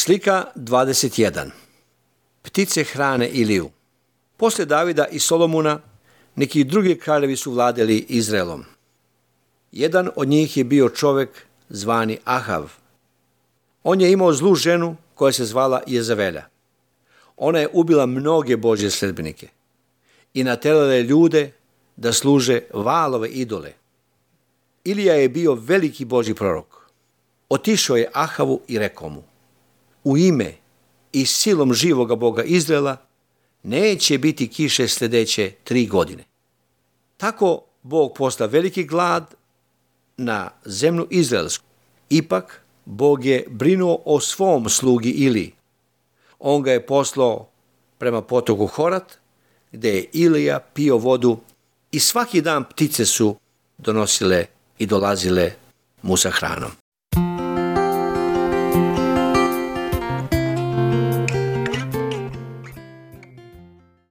Slika 21. Ptice hrane Iliju. Posle Davida i Solomona, neki drugi kraljevi su vladali Izraelom. Jedan od njih je bio čovek zvani Ahav. On je imao zlu ženu koja se zvala Jezavelja. Ona je ubila mnoge Božje sledbenike i naterala je ljude da služe Vaalove idole. Ilija je bio veliki Božji prorok. Otišao je Ahavu i rekao mu: u ime i silom živoga Boga Izraela neće biti kiše sljedeće 3 godine. Tako Bog posla veliki glad na zemlju izraelsku. Ipak Bog je brinuo o svom slugi Iliji. On ga je poslao prema potoku Horat, gdje je Ilija pio vodu i svaki dan ptice su donosile i dolazile mu sa hranom.